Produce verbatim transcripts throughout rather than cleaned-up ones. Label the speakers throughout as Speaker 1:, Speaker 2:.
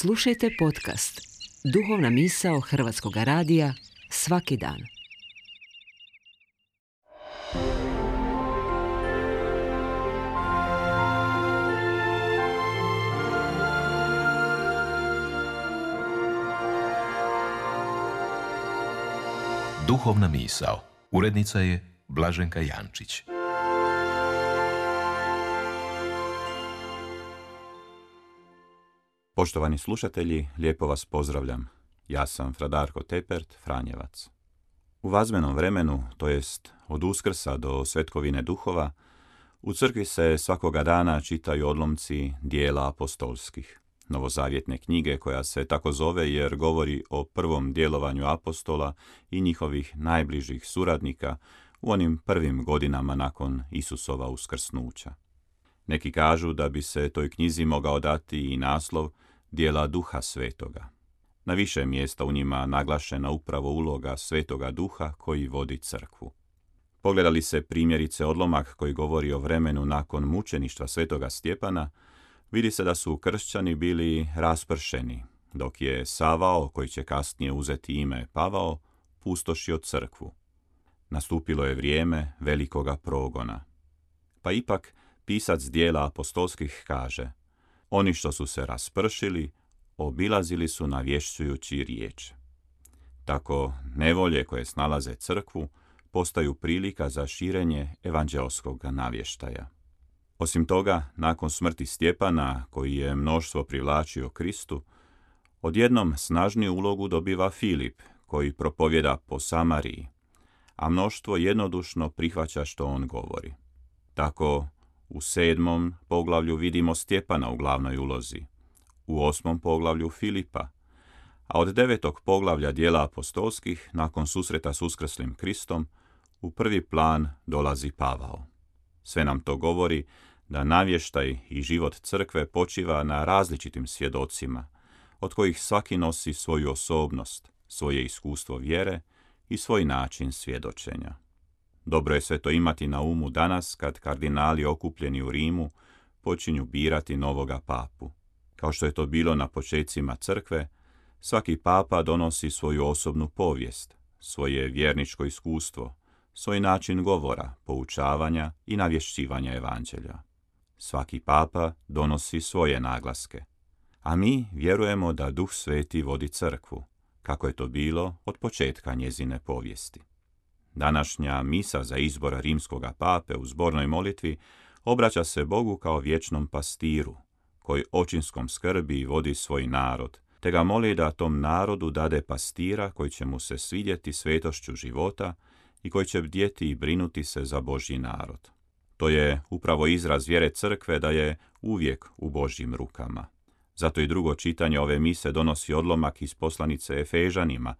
Speaker 1: Slušajte podcast Duhovna misao Hrvatskog radija svaki dan.
Speaker 2: Duhovna misao. Urednica je Blaženka Jančić.
Speaker 3: Poštovani slušatelji, lijepo vas pozdravljam. Ja sam fra Darko Tepert, Franjevac. U vazmenom vremenu, to jest od Uskrsa do Svetkovine duhova, u crkvi se svakoga dana čitaju odlomci dijela apostolskih, novozavjetne knjige koja se tako zove jer govori o prvom djelovanju apostola i njihovih najbližih suradnika u onim prvim godinama nakon Isusova uskrsnuća. Neki kažu da bi se toj knjizi mogao dati i naslov Djela Duha Svetoga. Na više mjesta u njima naglašena upravo uloga Svetoga Duha koji vodi crkvu. Pogledali se primjerice odlomak koji govori o vremenu nakon mučeništva Svetoga Stjepana, vidi se da su kršćani bili raspršeni, dok je Savao, koji će kasnije uzeti ime Pavao, pustošio crkvu. Nastupilo je vrijeme velikoga progona. Pa ipak pisac dijela apostolskih kaže: oni što su se raspršili, obilazili su navješćujući riječ. Tako nevolje koje snalaze crkvu postaju prilika za širenje evanđelskog navještaja. Osim toga, nakon smrti Stjepana, koji je mnoštvo privlačio Kristu, odjednom snažniju ulogu dobiva Filip, koji propovjeda po Samariji, a mnoštvo jednodušno prihvaća što on govori. Tako, u sedmom poglavlju vidimo Stjepana u glavnoj ulozi, u osmom poglavlju Filipa, a od devetog poglavlja dijela apostolskih, nakon susreta s uskrslim Kristom, u prvi plan dolazi Pavao. Sve nam to govori da navještaj i život crkve počiva na različitim svjedocima, od kojih svaki nosi svoju osobnost, svoje iskustvo vjere i svoj način svjedočenja. Dobro je sve to imati na umu danas kad kardinali okupljeni u Rimu počinju birati novoga papu. Kao što je to bilo na počecima crkve, svaki papa donosi svoju osobnu povijest, svoje vjerničko iskustvo, svoj način govora, poučavanja i navješćivanja evanđelja. Svaki papa donosi svoje naglaske, a mi vjerujemo da Duh Sveti vodi crkvu, kako je to bilo od početka njezine povijesti. Današnja misa za izbor rimskoga pape u zbornoj molitvi obraća se Bogu kao vječnom pastiru, koji očinskom skrbi vodi svoj narod, te ga moli da tom narodu dade pastira koji će mu se svidjeti svetošću života i koji će bdjeti i brinuti se za Božji narod. To je upravo izraz vjere crkve da je uvijek u Božjim rukama. Zato i drugo čitanje ove mise donosi odlomak iz poslanice Efežanima,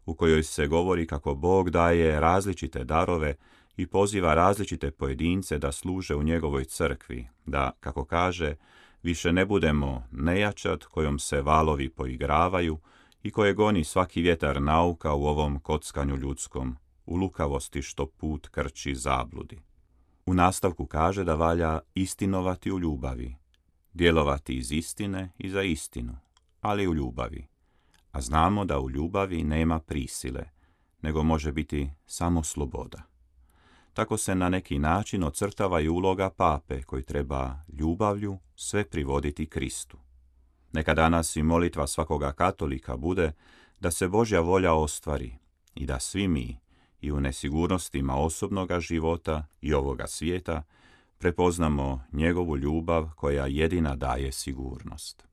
Speaker 3: u kojoj se govori kako Bog daje različite darove i poziva različite pojedince da služe u njegovoj crkvi, da, kako kaže, više ne budemo nejačad kojom se valovi poigravaju i koje goni svaki vjetar nauka u ovom kockanju ljudskom, u lukavosti što put krči zabludi. U nastavku kaže da valja istinovati u ljubavi, djelovati iz istine i za istinu, ali u ljubavi. A znamo da u ljubavi nema prisile, nego može biti samo sloboda. Tako se na neki način ocrtava i uloga pape koji treba ljubavlju sve privoditi Kristu. Neka danas i molitva svakoga katolika bude da se Božja volja ostvari i da svi mi, i u nesigurnostima osobnoga života i ovoga svijeta, prepoznamo njegovu ljubav koja jedina daje sigurnost.